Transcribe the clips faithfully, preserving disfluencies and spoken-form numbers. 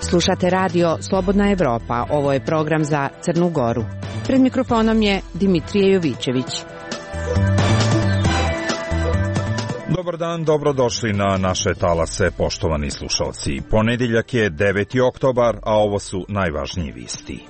Slušate radio Slobodna Evropa. Ovo je program za Crnu Goru. Pred mikrofonom je Dimitrije Jovićević. Dobar dan, dobrodošli na naše talase, poštovani slušalci. Ponedjeljak je deveti oktobar, a ovo su najvažniji vijesti.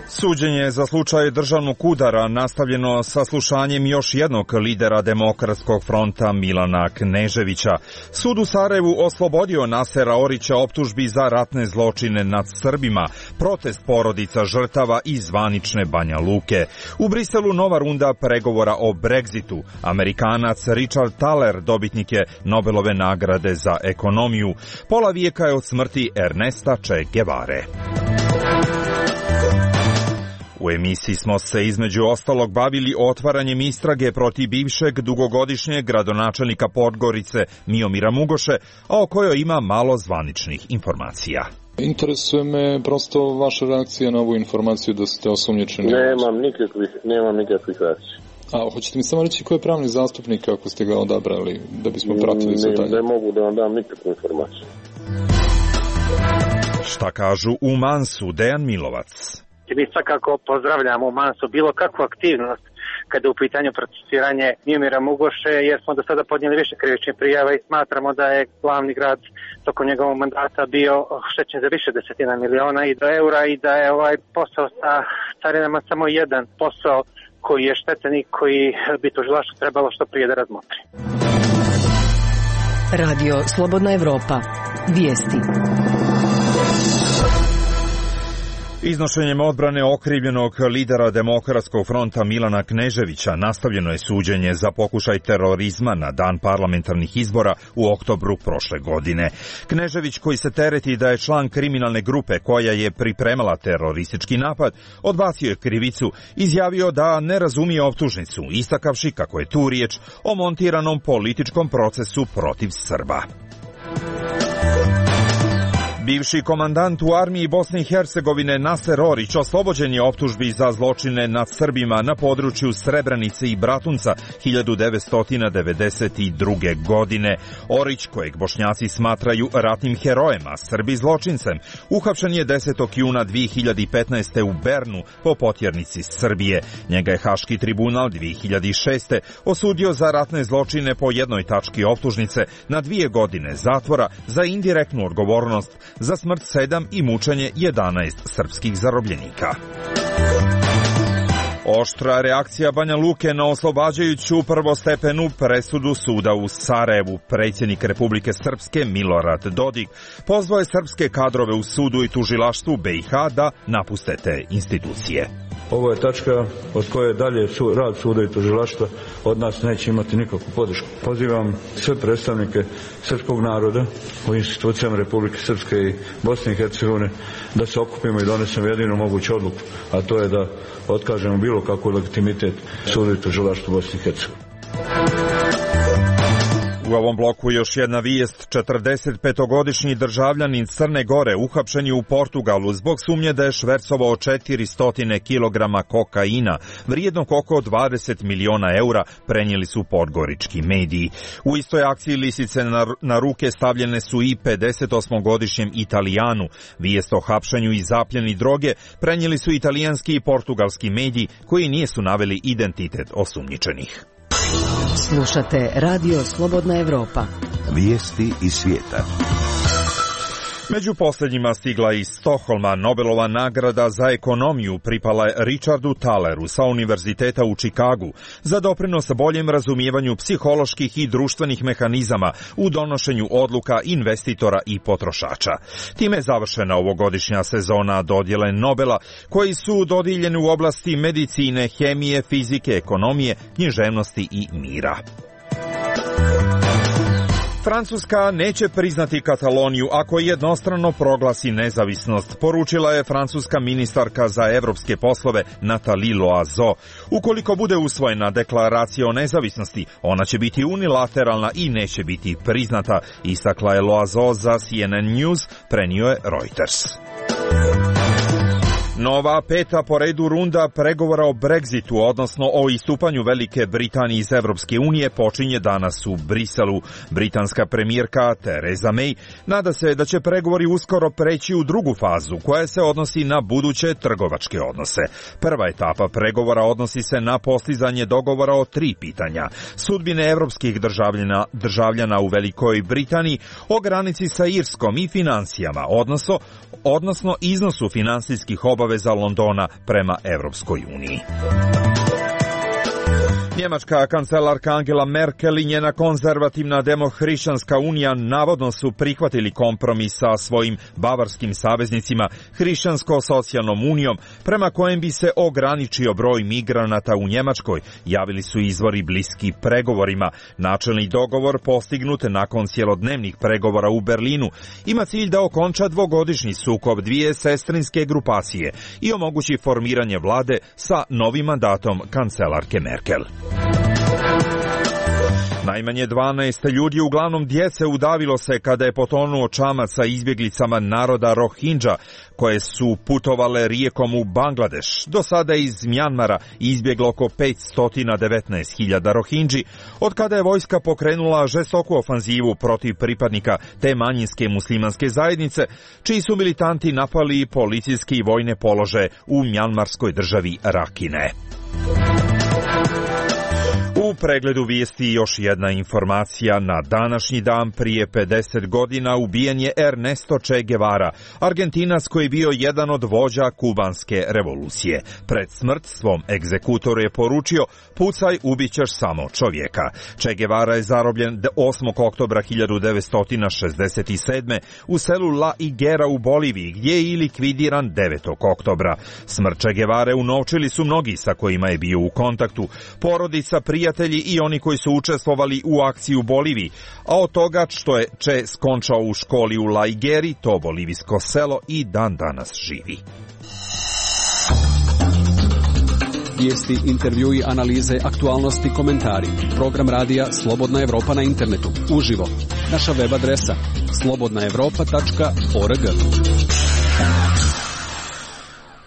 Suđenje za slučaj državnog udara nastavljeno saslušanjem još jednog lidera Demokratskog fronta Milana Kneževića. Sud u Sarajevu oslobodio Nasera Orića optužbi za ratne zločine nad Srbima, protest porodica žrtava i zvanične Banja Luke. U Briselu nova runda pregovora o Brexitu. Amerikanac Richard Thaler dobitnik je Nobelove nagrade za ekonomiju. Pola vijeka je od smrti Ernesta Che Guevare. U emisiji smo se između ostalog bavili otvaranjem istrage protiv bivšeg dugogodišnjeg gradonačelnika Podgorice Miomira Mugoše, a o kojoj ima malo zvaničnih informacija. Interesuje me prosto vaša reakcija na ovu informaciju da ste osumnjičeni. Nemam nikakvih, nemam nikakvih reakcija. A hoćete mi samo reći ko je pravni zastupnik ako ste ga odabrali, da bismo pratili za dalje? Ne, ne mogu da vam dam nikakvu informaciju. Šta kažu u Mansu, Dejan Milovac? Mi svakako pozdravljamo u Mansu bilo kakvu aktivnost kada je u pitanju procesiranje Miomira Mugoše, jer smo do sada podnijeli više krivičnih prijava i smatramo da je glavni grad tokom njegovog mandata bio oštećen za više desetina miliona i do eura i da je ovaj posao sa carinama samo jedan posao koji je štetan i koji bi tužilaštvo trebalo što prije da razmotri. Radio Slobodna Evropa. Vijesti. Iznošenjem odbrane okrivljenog lidera Demokratskog fronta Milana Kneževića nastavljeno je suđenje za pokušaj terorizma na dan parlamentarnih izbora u oktobru prošle godine. Knežević, koji se tereti da je član kriminalne grupe koja je pripremala teroristički napad, odbacio je krivicu, izjavio da ne razumije optužnicu, istakavši kako je tu riječ o montiranom političkom procesu protiv Srba. Bivši komandant u armiji Bosne i Hercegovine Naser Orić oslobođen je optužbi za zločine nad Srbima na području Srebrenice i Bratunca hiljadu devetsto devedeset druge. godine. Orić, kojeg Bošnjaci smatraju ratnim herojem, a Srbi zločincem, uhapšen je desetog juna dvije hiljade petnaeste. u Bernu po potjernici Srbije. Njega je Haški tribunal dvije hiljade šeste. osudio za ratne zločine po jednoj tački optužnice na dvije godine zatvora za indirektnu odgovornost za smrt sedam i mučenje jedanaest srpskih zarobljenika. Oštra reakcija Banja Luke na oslobađajuću prvostepenu presudu suda u Sarajevu. Predsjednik Republike Srpske Milorad Dodik pozvao je srpske kadrove u sudu i tužilaštvu B i H da napuste te institucije. Ovo je tačka od koje dalje su, rad suda i tužilaštva od nas neće imati nikakvu podršku. Pozivam sve predstavnike srpskog naroda u institucijama Republike Srpske i Bosne i Hercegovine da se okupimo i donesemo jedinu moguću odluku, a to je da otkažemo bilo kakvu legitimitet suda i tužilaštva Bosne i Hercegovine. U ovom bloku još jedna vijest. četrdesetpetogodišnji državljanin Crne Gore uhapšen je u Portugalu zbog sumnje da je švercovao četiristo kilograma kokaina, vrijednog oko dvadeset miliona eura, prenijeli su podgorički mediji. U istoj akciji lisice na, na ruke stavljene su i pedesetosmogodišnjem Italijanu. Vijest o hapšenju i zapljeni droge prenijeli su italijanski i portugalski mediji koji nisu naveli identitet osumnjičenih. Slušate Radio Slobodna Evropa. Vijesti iz svijeta. Među posljednjima stigla iz Stokholma Nobelova nagrada za ekonomiju pripala je Richardu Thaleru sa Univerziteta u Čikagu za doprinos boljem razumijevanju psiholoških i društvenih mehanizama u donošenju odluka investitora i potrošača. Time je završena ovogodišnja sezona dodjele Nobela, koji su dodijeljeni u oblasti medicine, hemije, fizike, ekonomije, književnosti i mira. Francuska neće priznati Kataloniju ako jednostrano proglasi nezavisnost, poručila je francuska ministarka za evropske poslove Nathalie Loiseau. Ukoliko bude usvojena deklaracija o nezavisnosti, ona će biti unilateralna i neće biti priznata, istakla je Loiseau za C N N News, prenio je Reuters. Nova peta po redu runda pregovora o Brexitu, odnosno o istupanju Velike Britanije iz Evropske unije, počinje danas u Briselu. Britanska premijerka Theresa May nada se da će pregovori uskoro preći u drugu fazu, koja se odnosi na buduće trgovačke odnose. Prva etapa pregovora odnosi se na postizanje dogovora o tri pitanja: sudbine evropskih državljana, državljana u Velikoj Britaniji, o granici sa Irskom i financijama, odnosno, odnosno iznosu finansijskih obaveza Londona prema Evropskoj uniji. Njemačka kancelarka Angela Merkel i njena konzervativna demohrišćanska unija navodno su prihvatili kompromis sa svojim bavarskim saveznicima Hrišćansko-socijalnom unijom, prema kojem bi se ograničio broj migranata u Njemačkoj, javili su izvori bliski pregovorima. Načelni dogovor, postignut nakon cjelodnevnih pregovora u Berlinu, ima cilj da okonča dvogodišnji sukob dvije sestrinske grupacije i omogući formiranje vlade sa novim mandatom kancelarke Merkel. Najmanje dvanaest ljudi, uglavnom djece, udavilo se kada je potonuo čamac sa izbjeglicama naroda Rohingya, koje su putovale rijekom u Bangladeš. Do sada je iz Mjanmara izbjeglo oko petsto devetnaest hiljada Rohingyi, od kada je vojska pokrenula žestoku ofanzivu protiv pripadnika te manjinske muslimanske zajednice, čiji su militanti napali policijski i vojne položaje u mjanmarskoj državi Rakhine. U pregledu vijesti još jedna informacija. Na današnji dan prije pedeset godina ubijen je Ernesto Che Guevara, Argentinac koji je bio jedan od vođa kubanske revolucije. Pred smrt svom egzekutoru je poručio: pucaj, ubit ćeš samo čovjeka. Che Guevara je zarobljen osmog oktobra hiljadu devetsto šezdeset sedme. u selu La Higuera u Boliviji, gdje je i likvidiran devetog oktobra. Smrt Che Guevare unovčili su mnogi sa kojima je bio u kontaktu, porodica, prijatelji i oni koji su učestvovali u akciji u Boliviji, a od toga što je Che skončao u školi u La Higueri, to bolivijsko selo i dan danas živi. Vijesti, intervjui, analize, aktualnosti, komentari. Program radija Slobodna Evropa na internetu. Uživo. Naša web adresa slobodna evropa tačka org.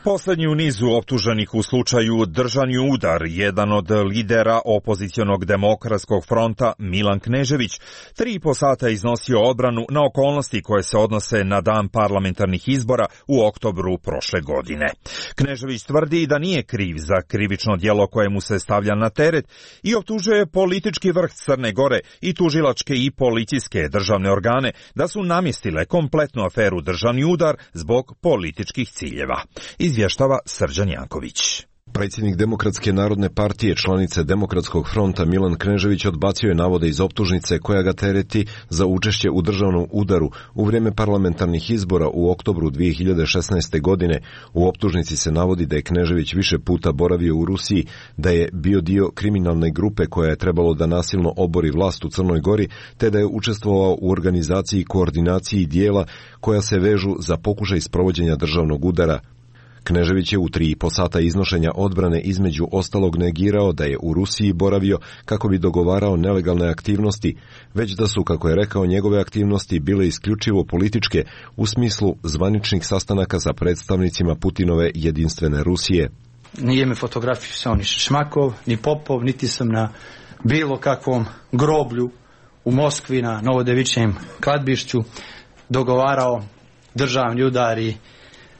Posljednji u nizu optuženih u slučaju držani udar, jedan od lidera opozicionog demokratskog fronta, Milan Knežević, tri i po sata iznosio odbranu na okolnosti koje se odnose na dan parlamentarnih izbora u oktobru prošle godine. Knežević tvrdi da nije kriv za krivično djelo koje mu se stavlja na teret i optužuje politički vrh Crne Gore i tužilačke i policijske državne organe da su namjestile kompletnu aferu državni udar zbog političkih ciljeva. Izvještava Srđan Janković. Predsjednik Demokratske narodne partije, članice Demokratskog fronta Milan Knežević odbacio je navode iz optužnice koja ga tereti za učešće u državnom udaru u vrijeme parlamentarnih izbora u oktobru dvije hiljade šesnaeste. godine. U optužnici se navodi da je Knežević više puta boravio u Rusiji, da je bio dio kriminalne grupe koja je trebalo da nasilno obori vlast u Crnoj Gori, te da je učestvovao u organizaciji i koordinaciji dijela koja se vežu za pokušaj sprovođenja državnog udara. Knežević je u tri i po sata iznošenja odbrane između ostalog negirao da je u Rusiji boravio kako bi dogovarao nelegalne aktivnosti, već da su, kako je rekao, njegove aktivnosti bile isključivo političke u smislu zvaničnih sastanaka sa predstavnicima Putinove jedinstvene Rusije. Nije me fotografisao ni Šmakov, ni Popov, niti sam na bilo kakvom groblju u Moskvi na Novodevičijem kladbišću dogovarao državni udari,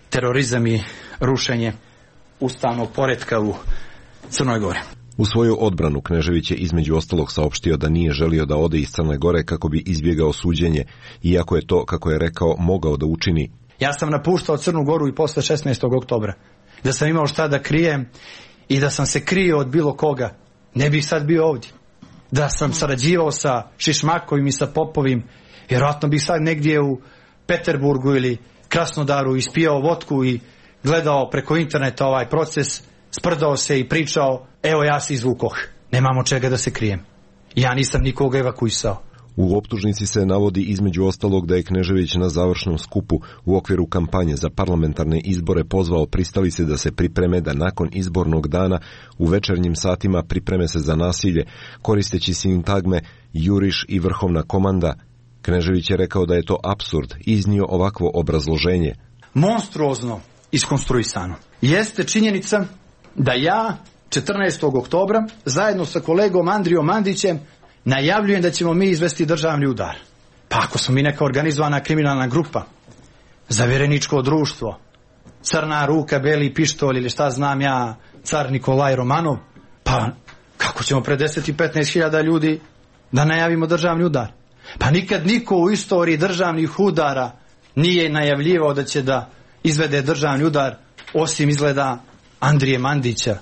terorizam i rušenje ustavnog poretka u Crnoj Gori. U svoju odbranu Knežević je između ostalog saopštio da nije želio da ode iz Crne Gore kako bi izbjegao suđenje, iako je to, kako je rekao, mogao da učini. Ja sam napuštao Crnu Goru i posle šesnaestog oktobra. Da sam imao šta da krijem i da sam se krio od bilo koga, ne bih sad bio ovdje. Da sam sarađivao sa Šišmakovim i sa Popovim, vjerojatno bih sad negdje u Peterburgu ili Krasnodaru ispijao vodku i gledao preko interneta ovaj proces, sprdao se i pričao: evo, ja se izvukoh, nemamo čega da se krijem. Ja nisam nikoga evakuisao. U optužnici se navodi između ostalog da je Knežević na završnom skupu u okviru kampanje za parlamentarne izbore pozvao pristalice da se pripreme da nakon izbornog dana u večernjim satima pripreme se za nasilje, koristeći sintagme juriš i vrhovna komanda. Knežević je rekao da je to apsurd i iznio ovakvo obrazloženje. Monstruozno iskonstruisano. Jeste činjenica da ja četrnaestog oktobra zajedno sa kolegom Andrijom Mandićem najavljujem da ćemo mi izvesti državni udar. Pa ako smo mi neka organizovana kriminalna grupa, zavereničko društvo, crna ruka, beli pištolj ili šta znam ja, car Nikolaj Romanov, pa kako ćemo pred deset i petnaest hiljada ljudi da najavimo državni udar? Pa nikad niko u istoriji državnih udara nije najavljivao da će da izvede državni udar, osim izgleda Andrije Mandića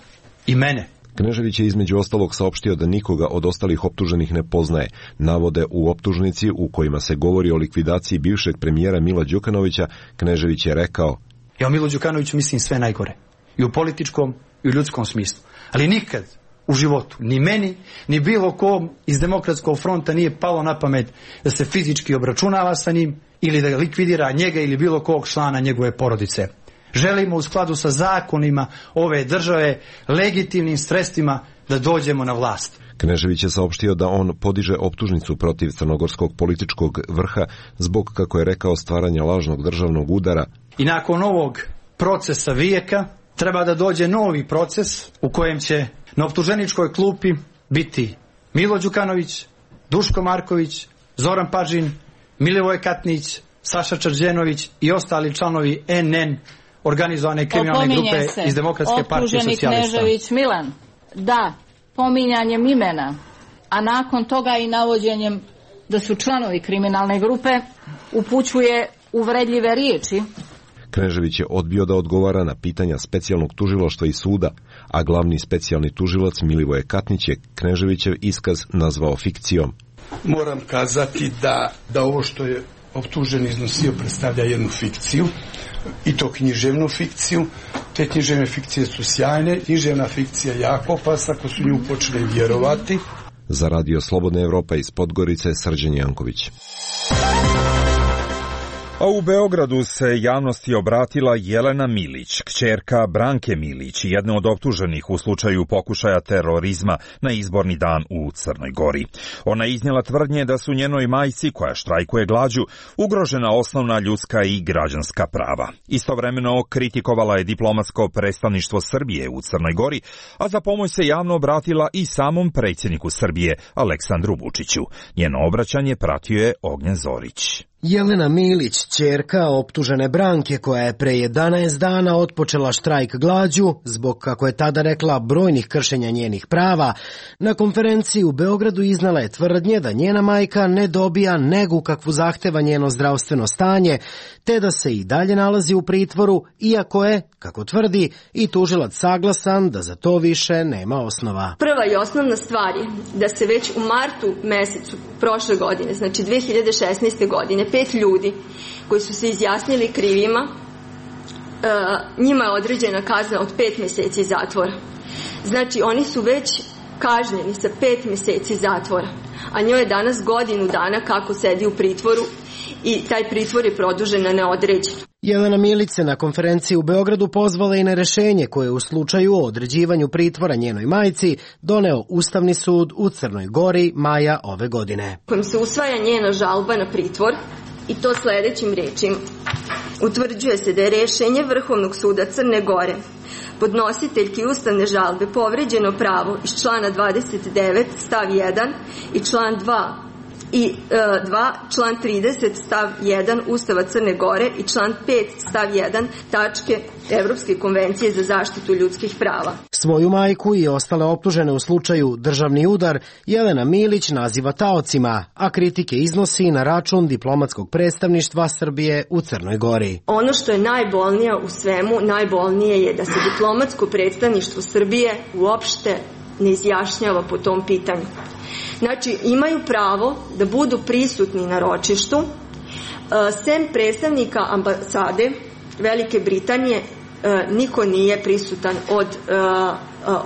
i mene. Knežević je između ostalog saopštio da nikoga od ostalih optuženih ne poznaje. Navode u optužnici u kojima se govori o likvidaciji bivšeg premijera Mila Đukanovića, Knežević je rekao: Ja o Milu Đukanoviću mislim sve najgore. I u političkom i u ljudskom smislu. Ali nikad u životu, ni meni, ni bilo kom iz Demokratskog fronta nije palo na pamet da se fizički obračunava sa njim ili da likvidira njega ili bilo kog člana njegove porodice. Želimo u skladu sa zakonima ove države, legitimnim sredstvima da dođemo na vlast. Knežević je saopštio da on podiže optužnicu protiv crnogorskog političkog vrha zbog, kako je rekao, stvaranja lažnog državnog udara. I nakon ovog procesa vijeka treba da dođe novi proces u kojem će na optuženičkoj klupi biti Milo Đukanović, Duško Marković, Zoran Pažin, Milivoj Katnić, Saša Črđenović i ostali članovi N N, organizovane kriminalne grupe iz Demokratske partije socijalista. Optuženi Knežević Milan, da, pominjanjem imena, a nakon toga i navođenjem da su članovi kriminalne grupe, upućuje uvredljive riječi. Knežević je odbio da odgovara na pitanja specijalnog tužilaštva i suda, a glavni specijalni tužilac Milivoje Katnić je Kneževićev iskaz nazvao fikcijom. Moram kazati da, da ovo što je optužen iznosio predstavlja jednu fikciju, i to književnu fikciju. Te književne fikcije su sjajne, književna fikcija je jako opasna ako su nju počeli vjerovati. Za Radio Slobodna Evropa iz Podgorice, Srđan Janković. A u Beogradu se javnosti obratila Jelena Milić, kćerka Branke Milić, jedna od optuženih u slučaju pokušaja terorizma na izborni dan u Crnoj Gori. Ona je iznijela tvrdnje da su njenoj majci, koja štrajkuje glađu, ugrožena osnovna ljudska i građanska prava. Istovremeno kritikovala je diplomatsko predstavništvo Srbije u Crnoj Gori, a za pomoć se javno obratila i samom predsjedniku Srbije, Aleksandru Vučiću. Njeno obraćanje pratio je Ognjen Zorić. Jelena Milić, ćerka optužene Branke, koja je pre jedanaest dana otpočela štrajk glađu zbog, kako je tada rekla, brojnih kršenja njenih prava, na konferenciji u Beogradu iznala je tvrdnje da njena majka ne dobija negu kakvu zahteva njeno zdravstveno stanje, te da se i dalje nalazi u pritvoru, iako je, kako tvrdi, i tužilac saglasan da za to više nema osnova. Prva i osnovna stvar je da se već u martu mesecu prošle godine, znači dve hiljade šesnaeste. godine, pet ljudi koji su se izjasnili krivima, njima je određena kazna od pet mjeseci zatvora. Znači oni su već kažnjeni sa pet mjeseci zatvora, a njoj je danas godinu dana kako sedi u pritvoru i taj pritvor je produžen na neodređeno. Jelena Milić se na konferenciji u Beogradu pozvala i na rešenje koje u slučaju o određivanju pritvora njenoj majci doneo Ustavni sud u Crnoj Gori maja ove godine. Kojim se usvaja njena žalba na pritvor i to sljedećim rečima. Utvrđuje se da je rešenje Vrhovnog suda Crne Gore podnositeljki ustavne žalbe povređeno pravo iz člana dvadeset devet stav jedan i član dva i dva, član trideset stav jedan Ustava Crne Gore i član pet stav jedan tačke Evropske konvencije za zaštitu ljudskih prava. Svoju majku i ostale optužene u slučaju državni udar Jelena Milić naziva taocima, a kritike iznosi na račun diplomatskog predstavništva Srbije u Crnoj Gori. Ono što je najbolnije u svemu, najbolnije je da se diplomatsko predstavništvo Srbije uopšte ne izjašnjava po tom pitanju. Znači, imaju pravo da budu prisutni na ročištu. Sem predstavnika ambasade Velike Britanije, niko nije prisutan od,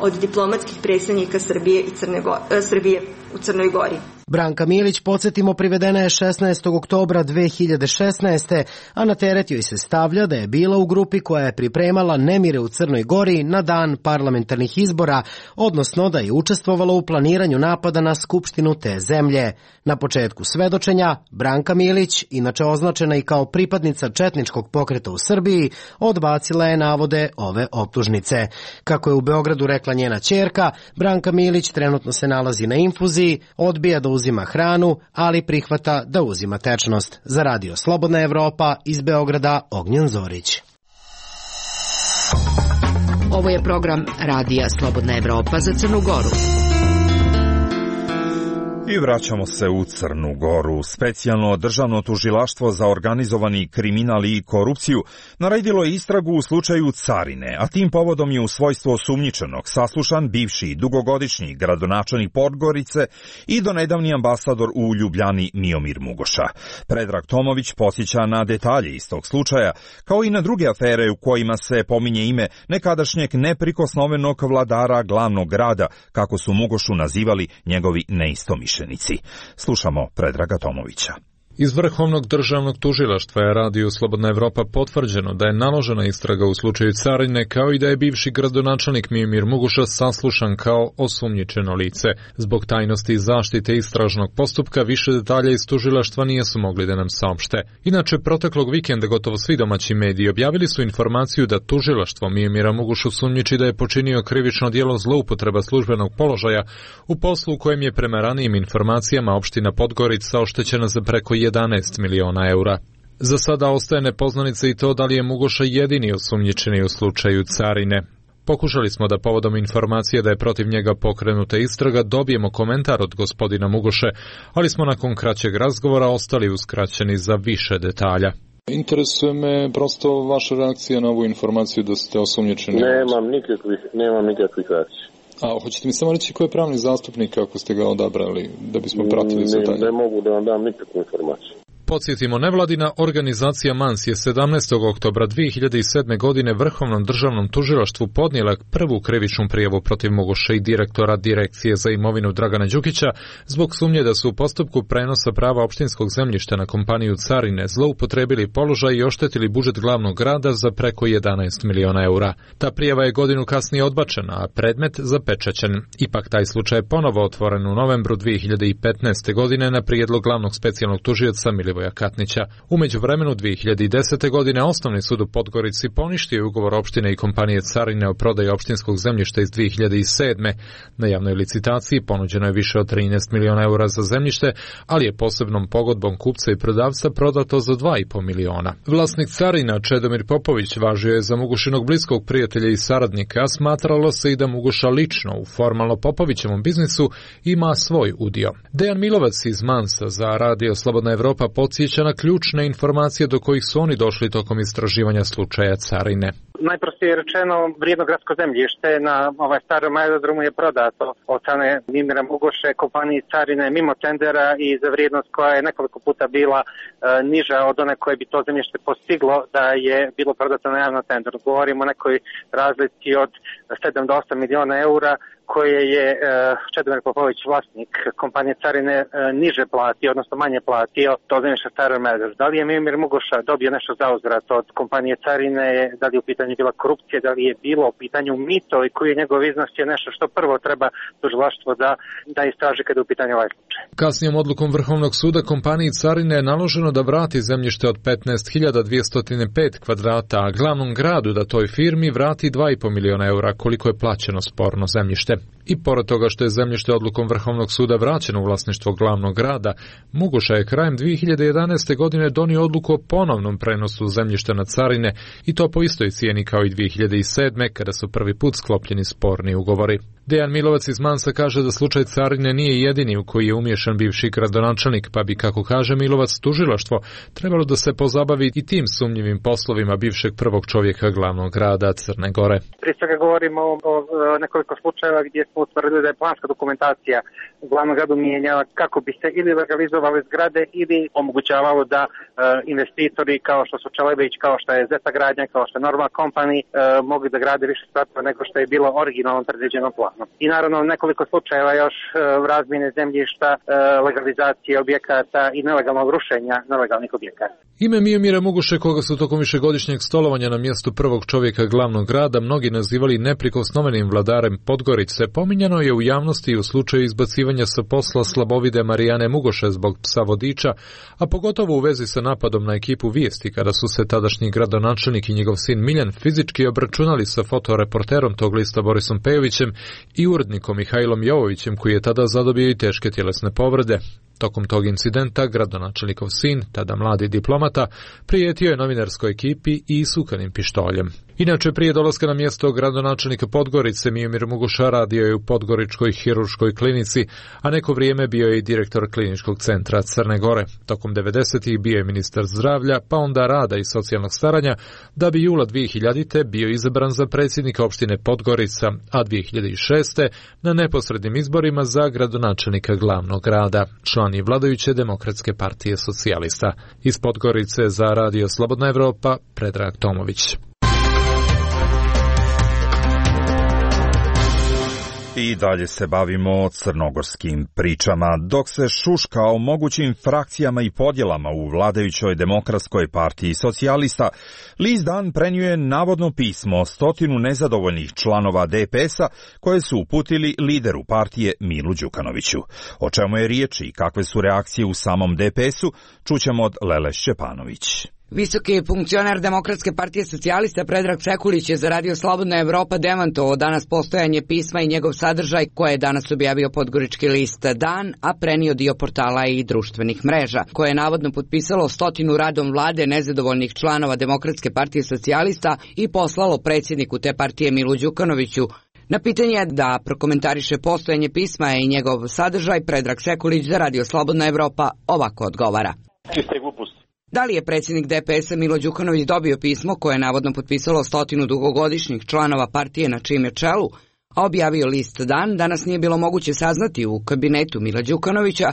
od diplomatskih predstavnika Srbije, i Crne Go- Srbije u Crnoj Gori. Branka Milić, podsjetimo, privedena je šesnaestog oktobra dve hiljade šesnaeste. a na teret joj se stavlja da je bila u grupi koja je pripremala nemire u Crnoj Gori na dan parlamentarnih izbora, odnosno da je učestvovala u planiranju napada na skupštinu te zemlje. Na početku svedočenja, Branka Milić, inače označena i kao pripadnica četničkog pokreta u Srbiji, odbacila je navode ove optužnice. Kako je u Beogradu rekla njena ćerka, Branka Milić trenutno se nalazi na infuziji, odbija da uzima hranu, ali prihvata da uzima tečnost. Za Radio Slobodna Evropa, iz Beograda, Ognjen Zorić. Ovo je program Radija Slobodna Evropa za Crnu Goru. I vraćamo se u Crnu Goru. Specijalno državno tužilaštvo za organizovani kriminal i korupciju naredilo je istragu u slučaju Carine, a tim povodom je u svojstvo osumnjičenog saslušan bivši dugogodišnji gradonačelnik Podgorice i donedavni ambasador u Ljubljani Miomir Mugoša. Predrag Tomović posjeća na detalje iz tog slučaja, kao i na druge afere u kojima se pominje ime nekadašnjeg neprikosnovenog vladara glavnog grada, kako su Mugošu nazivali njegovi neistomišljenici. Slušamo Predraga Tomovića. Iz Vrhovnog državnog tužilaštva je Radio Slobodna Evropa potvrđeno da je naložena istraga u slučaju Carine, kao i da je bivši gradonačelnik Miomir Mugoša saslušan kao osumnjičeno lice. Zbog tajnosti i zaštite istražnog postupka više detalja iz tužilaštva nisu mogli da nam saopšte. Inače, proteklog vikenda gotovo svi domaći mediji objavili su informaciju da tužilaštvo Miomira Mugošu sumnjiči da je počinio krivično djelo zloupotreba službenog položaja u poslu u kojem je prema ranijim informacijama opština Podgorica oštećena za preko jedanaest miliona eura. Za sada ostaje nepoznanica i to da li je Mugoša jedini osumnjičeni u slučaju Carine. Pokušali smo da povodom informacije da je protiv njega pokrenuta istraga dobijemo komentar od gospodina Mugoše, ali smo nakon kraćeg razgovora ostali uskraćeni za više detalja. Interesuje me prosto vaša reakcija na ovu informaciju da ste osumnjičeni. Nemam nikakvih, nemam nikakvih reakcija. A hoćete mi samo reći ko je pravni zastupnik ako ste ga odabrali, da bismo pratili za taj? Ne, ne mogu da vam dam nikakvu informaciju. Podsjetimo, nevladina organizacija Mans je sedamnaestog oktobra dve hiljade sedme. godine Vrhovnom državnom tužilaštvu podnijela prvu krivičnu prijavu protiv Mugoše i direktora Direkcije za imovinu Dragana Đukića zbog sumnje da su u postupku prenosa prava opštinskog zemljišta na kompaniju Carine zloupotrebili položaj i oštetili budžet glavnog grada za preko jedanaest miliona eura. Ta prijava je godinu kasnije odbačena, a predmet zapečaćen. Ipak taj slučaj je ponovo otvoren u novembru dve hiljade petnaeste. godine na prijedlog glavnog specijalnog tužioca Milivoja Katnića. U međuvremenu dve hiljade desete. godine Osnovni sud u Podgorici poništio je ugovor opštine i kompanije Carine o prodaji opštinskog zemljišta iz dve hiljade sedme. Na javnoj licitaciji ponuđeno je više od trinaest miliona eura za zemljište, ali je posebnom pogodbom kupca i prodavca prodato za dva i po miliona. Vlasnik Carina, Čedomir Popović, važio je za Mugošinog bliskog prijatelja i saradnika, a smatralo se i da Mugoša lično u formalno Popovićevom biznisu ima svoj udio. Dejan Milovac iz Mansa za Radio Slobodna Evropa podsjeća na ključne informacije do kojih su oni došli tokom istraživanja slučaja Carine. Najprostije rečeno, vrijedno gradsko zemljište na ovaj starom aerodromu je prodato od strane Miomira Mugoše kompaniji Carine mimo tendera i za vrijednost koja je nekoliko puta bila e, niža od one koje bi to zemljište postiglo da je bilo prodato na javnom tenderu. Govorimo o nekoj razlici od sedam do osam miliona eura koje je e, Čedomir Popović, vlasnik kompanije Carine, e, niže platio, odnosno manje platio to zemljište starom aerodromu. Da li je Miomir Mugoša dobio nešto za uzvrat od kompanije Carine, da li je u pitanju bila korupcija, da li je bilo u pitanju mito i koji je njegov iznos je nešto što prvo treba tužilaštvo da, da istraži kada je u pitanju ovaj slučaj. Kasnijom odlukom Vrhovnog suda kompaniji Carine je naloženo da vrati zemljište od petnaest hiljada dvjesto pet kvadrata, a glavnom gradu da toj firmi vrati dva i po miliona eura koliko je plaćeno sporno zemljište. I pored toga što je zemljište odlukom Vrhovnog suda vraćeno u vlasništvo glavnog grada, Mugoša je krajem dve hiljade jedanaeste. godine donio odluku o ponovnom prenosu zemljišta na Carine i to po istoj cijeni kao i dve hiljade sedme. kada su prvi put sklopljeni sporni ugovori. Dejan Milovac iz Mansa kaže da slučaj Carine nije jedini u koji je umiješan bivši gradonačelnik, pa bi, kako kaže Milovac, tužilaštvo trebalo da se pozabavi i tim sumnjivim poslovima bivšeg prvog čovjeka glavnog grada Crne Gore. Prije svega govorimo o, o nekoliko slučajeva gdje smo utvrdili da je planska dokumentacija u glavnom gradu mijenjala kako bi se ili legalizovale zgrade ili omogućavalo da e, investitori kao što su Čelebić, kao što je Zeta gradnja, kao što je Norma Company e, mogli da grade više spratova nego što je bilo originalno predviđeno planom. I naravno nekoliko slučajeva još e, razmjene zemljišta, e, legalizacije objekata i nelegalnog rušenja nelegalnih objekata. Ime Miomira Muguše, koga su tokom višegodišnjeg stolovanja na mjestu prvog čovjeka glavnog grada mnogi nazivali neprikosnovenim vladarem Podgorice, pominjano je u javnosti u slučaju izbacivanja sa posla slabovide Marijane Mugoše zbog psa vodiča, a pogotovo u vezi sa napadom na ekipu Vijesti, kada su se tadašnji gradonačelnik i njegov sin Miljan fizički obračunali sa fotoreporterom tog lista Borisom Pejovićem i urednikom Mihajlom Jovovićem, koji je tada zadobio i teške tjelesne povrede. Tokom tog incidenta gradonačelnikov sin, tada mladi diplomata, prijetio je novinarskoj ekipi i sukanim pištoljem. Inače, prije dolaska na mjesto gradonačelnika Podgorice, Miomir Muguša radio je u Podgoričkoj hirurškoj klinici, a neko vrijeme bio je i direktor kliničkog centra Crne Gore. Tokom devedesetih bio je ministar zdravlja, pa onda rada i socijalnog staranja, da bi jula dvije hiljadite bio izabran za predsjednika opštine Podgorica, a dvije hiljade šeste na neposrednim izborima za gradonačelnika glavnog grada, član je vladajuće Demokratske partije socijalista. Iz Podgorice za Radio Slobodna Evropa, Predrag Tomović. I dalje se bavimo crnogorskim pričama. Dok se šuška o mogućim frakcijama i podjelama u vladajućoj Demokratskoj partiji socijalista, list Dan prenio je navodno pismo stotinu nezadovoljnih članova D P S-a koje su uputili lideru partije Milu Đukanoviću. O čemu je riječ i kakve su reakcije u samom D P S-u, čućemo od Lele Šćepanović. Visoki funkcioner Demokratske partije socijalista Predrag Sekulić je za Radio Slobodna Evropa demantovao danas postojanje pisma i njegov sadržaj koje je danas objavio podgorički list Dan, a prenio dio portala i društvenih mreža, koje je navodno potpisalo stotinu radom vlade nezadovoljnih članova Demokratske partije socijalista i poslalo predsjedniku te partije Milu Đukanoviću. Na pitanje da prokomentariše postojanje pisma i njegov sadržaj, Predrag Sekulić za Radio Slobodna Evropa ovako odgovara. Čiste gluposti. Da li je predsjednik D P S-a Milo Đukanović dobio pismo koje je navodno potpisalo stotinu dugogodišnjih članova partije na čijem je čelu, a objavio list Dan, danas nije bilo moguće saznati u kabinetu Mila Đukanovića,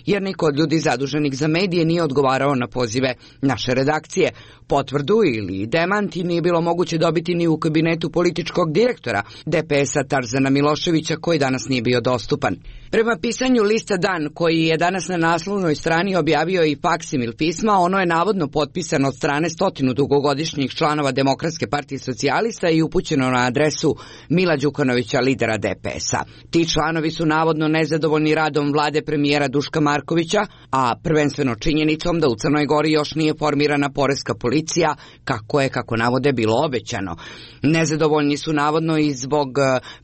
jer niko od ljudi zaduženih za medije nije odgovarao na pozive naše redakcije. Potvrdu ili demanti nije bilo moguće dobiti ni u kabinetu političkog direktora D P S-a Tarzana Miloševića, koji danas nije bio dostupan. Prema pisanju lista Dan, koji je danas na naslovnoj strani objavio i faksimil pisma, ono je navodno potpisano od strane stotinu dugogodišnjih članova Demokratske partije socijalista i upućeno na adresu Mila Đukanovića, lidera D P S-a. Ti članovi su navodno nezadovoljni radom vlade premijera Duška Markovića, a prvenstveno činjenicom da u Crnoj Gori još nije formirana poreska policija, kako je, kako navode, bilo obećano. Nezadovoljni su navodno i zbog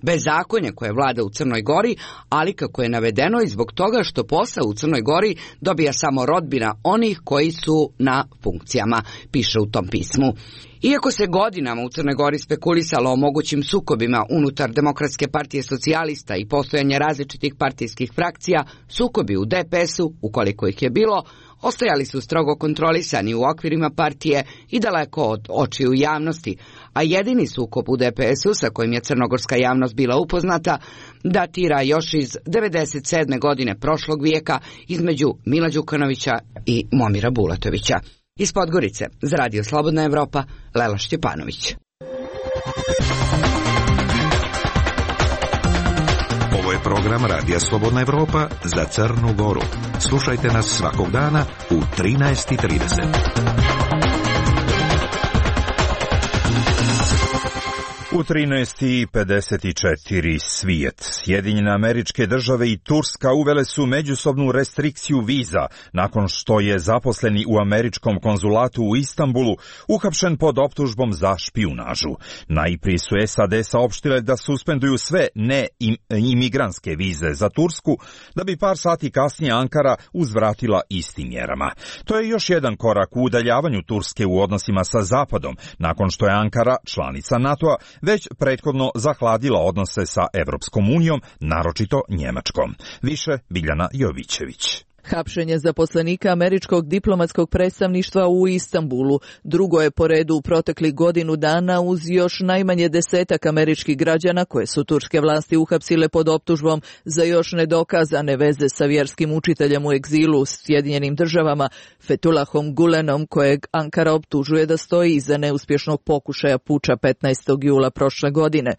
bezakonja koje vlada u Crnoj Gori, ali kako je navedeno i zbog toga što posao u Crnoj Gori dobija samo rodbina onih koji su na funkcijama, piše u tom pismu. Iako se godinama u Crnoj Gori spekulisalo o mogućim sukobima unutar Demokratske partije socijalista i postojanje različitih partijskih frakcija, sukobi u D P S-u, ukoliko ih je bilo, ostajali su strogo kontrolisani u okvirima partije i daleko od očiju javnosti, a jedini sukob u D P S-u sa kojim je crnogorska javnost bila upoznata datira još iz devedeset sedme godine prošlog vijeka između Mila Đukanovića i Momira Bulatovića. Iz Podgorice, za Radio Slobodna Evropa, Lela Šćepanović. Ovo je program Radija Slobodna Evropa za Crnu Goru. Slušajte nas svakog dana u trinaest i trideset. U trinaest i pedeset četiri svijet, Sjedinjene Američke Države i Turska uvele su međusobnu restrikciju viza nakon što je zaposleni u američkom konzulatu u Istanbulu uhapšen pod optužbom za špijunažu. Najprije su S A D saopštile da suspenduju sve neimigrantske vize za Tursku, da bi par sati kasnije Ankara uzvratila istim mjerama. To je još jedan korak u udaljavanju Turske u odnosima sa Zapadom, nakon što je Ankara, članica NATO-a, već prethodno zahladila odnose sa Evropskom unijom, naročito Njemačkom. Više Biljana Jovićević. Hapšenje zaposlenika američkog diplomatskog predstavništva u Istanbulu drugo je po redu u proteklih godinu dana uz još najmanje desetak američkih građana koje su turske vlasti uhapsile pod optužbom za još nedokazane veze sa vjerskim učiteljem u egzilu u Sjedinjenim državama Fethullahom Gulenom, kojeg Ankara optužuje da stoji iza neuspješnog pokušaja puča petnaestog jula prošle godine.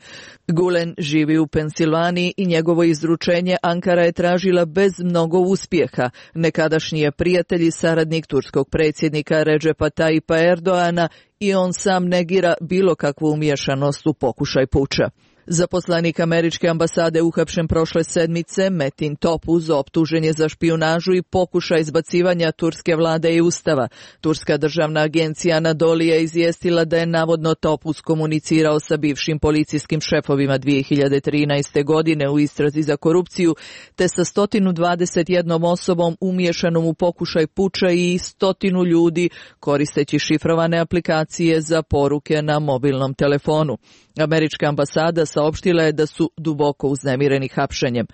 Gulen živi u Pensilvaniji i njegovo izručenje Ankara je tražila bez mnogo uspjeha. Nekadašnji je prijatelj i saradnik turskog predsjednika Recepa Tayyipa Erdoana i on sam negira bilo kakvu umiješanost u pokušaj puča. Zaposlenik američke ambasade uhapšen prošle sedmice, Metin Topuz, optužen je za špijunažu i pokušaj izbacivanja turske vlade i ustava. Turska državna agencija Anadolu je izvijestila da je navodno Topuz komunicirao sa bivšim policijskim šefovima dvije hiljade trinaeste. godine u istrazi za korupciju, te sa sto dvadeset jednom osobom umješanom u pokušaj puča i stotinu ljudi koristeći šifrovane aplikacije za poruke na mobilnom telefonu. Američka ambasada saopštila je da su duboko uznemireni hapšenjem.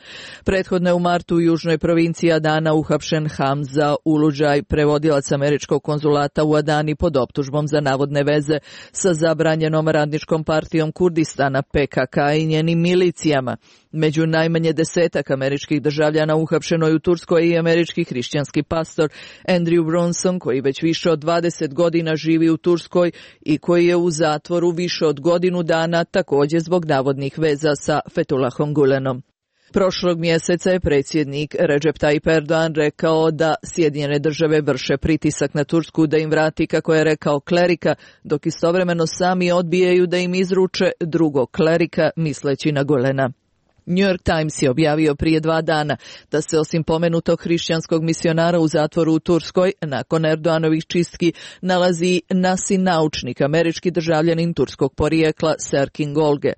Prethodno je u martu u južnoj provinciji Adana uhapšen Hamza Uludžaj, prevodilac američkog konzulata u Adani pod optužbom za navodne veze sa zabranjenom radničkom partijom Kurdistana P K K i njenim milicijama. Među najmanje desetak američkih državljana uhapšeno je u Turskoj i američki hrišćanski pastor Andrew Brunson, koji već više od dvadeset godina živi u Turskoj i koji je u zatvoru više od godinu dana također zbog navodnih veza sa Fethullahom Gulenom. Prošlog mjeseca je predsjednik Recep Tayyip Erdogan rekao da Sjedinjene države vrše pritisak na Tursku da im vrati, kako je rekao, klerika, dok istovremeno sami odbijaju da im izruče drugog klerika, misleći na Gulena. New York Times je objavio prije dva dana da se osim pomenutog hrišćanskog misionara u zatvoru u Turskoj, nakon Erdoganovih čistki, nalazi Nasin naučnik, američki državljanin turskog porijekla Serkin Golge.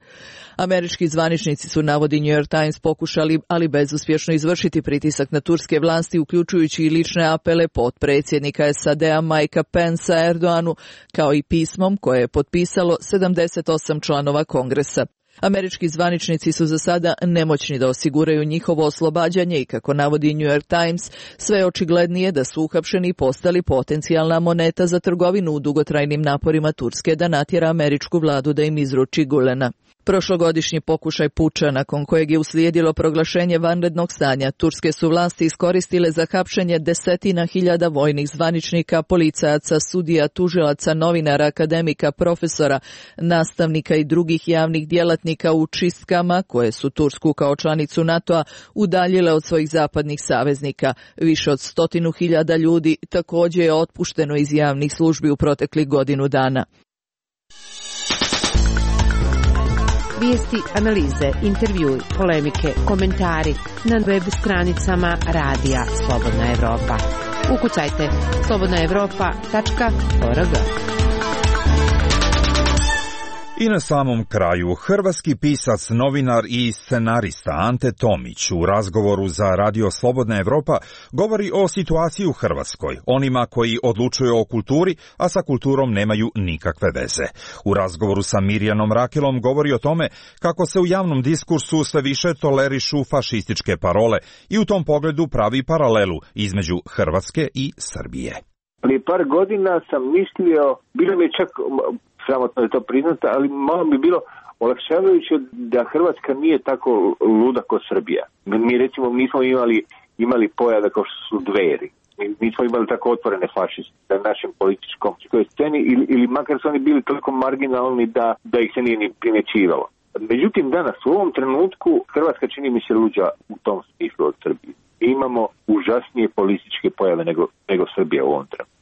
Američki zvaničnici su, navodi New York Times, pokušali, ali bezuspješno, izvršiti pritisak na turske vlasti, uključujući i lične apele potpredsjednika S A D-a Mikea Pencea Erdoganu, kao i pismom koje je potpisalo sedamdeset osam članova Kongresa. Američki zvaničnici su za sada nemoćni da osiguraju njihovo oslobađanje i, kako navodi New York Times, sve je očiglednije da su uhapšeni postali potencijalna moneta za trgovinu u dugotrajnim naporima Turske da natjera američku vladu da im izruči Gulena. Prošlogodišnji pokušaj puča, nakon kojeg je uslijedilo proglašenje vanrednog stanja, turske su vlasti iskoristile za hapšenje desetina hiljada vojnih zvaničnika, policajaca, sudija, tužilaca, novinara, akademika, profesora, nastavnika i drugih javnih djelatnika u čistkama koje su Tursku kao članicu NATO-a udaljile od svojih zapadnih saveznika. Više od stotinu hiljada ljudi također je otpušteno iz javnih službi u proteklih godinu dana. Vijesti, analize, intervjui, polemike, komentari na web stranicama Radija Slobodna Evropa. Ukucajte slobodna evropa tačka org. I na samom kraju, hrvatski pisac, novinar i scenarista Ante Tomić u razgovoru za Radio Slobodna Evropa govori o situaciji u Hrvatskoj, onima koji odlučuju o kulturi, a sa kulturom nemaju nikakve veze. U razgovoru sa Mirjanom Rakelom govori o tome kako se u javnom diskursu sve više tolerišu fašističke parole i u tom pogledu pravi paralelu između Hrvatske i Srbije. Prije par godina sam mislio, bilo mi je čak sramotno je to priznata, ali malo bi bilo olakšavajuće da Hrvatska nije tako luda kao Srbija. Mi recimo nismo imali, imali pojava kao što su Dveri. Mi nismo imali tako otvorene fašiste na našem političkom sceni ili, ili makar su oni bili toliko marginalni da, da ih se nije ni primjećivalo. Međutim, danas u ovom trenutku Hrvatska čini mi se luđa u tom smislu od Srbije. Mi imamo užasnije političke pojave nego, nego Srbija u ovom trenutku.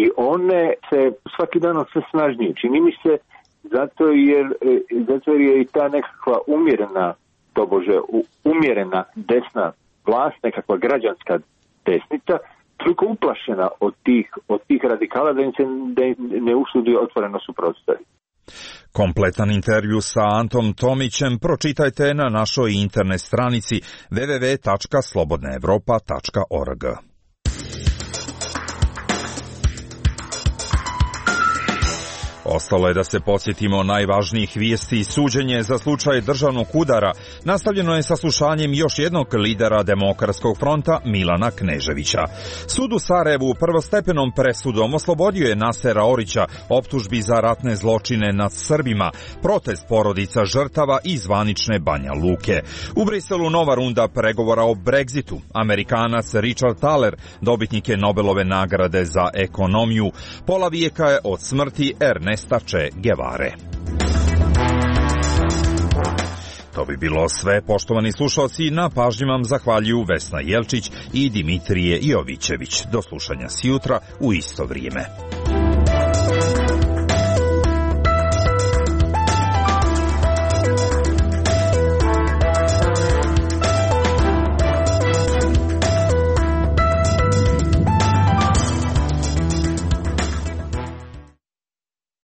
I one se svaki dan sve snažnije. Čini mi se zato jer, zato jer je i ta nekakva umjerena, tobože umjerena desna vlast, nekakva građanska desnica, toliko uplašena od tih, od tih radikala da im se da im ne usudi otvoreno suprotstaviti. Kompletan intervju sa Antom Tomićem pročitajte na našoj internet stranici w w w tačka slobodna evropa tačka org. Ostalo je da se podsjetimo najvažnijih vijesti. Suđenje za slučaj državnog udara nastavljeno je saslušanjem još jednog lidera Demokratskog fronta Milana Kneževića. Sud u Sarajevu prvostepenom presudom oslobodio je Nasera Orića optužbi za ratne zločine nad Srbima, protest porodica žrtava i zvanične Banja Luke. U Briselu nova runda pregovora o Brexitu. Amerikanac Richard Thaler dobitnik je Nobelove nagrade za ekonomiju. Pola vijeka je od smrti Ernesta Che Guevare. To bi bilo sve, poštovani slušalci, na pažnji vam zahvaljuju Vesna Jelčić i Dimitrije Jovićević. Do slušanja sjutra u isto vrijeme.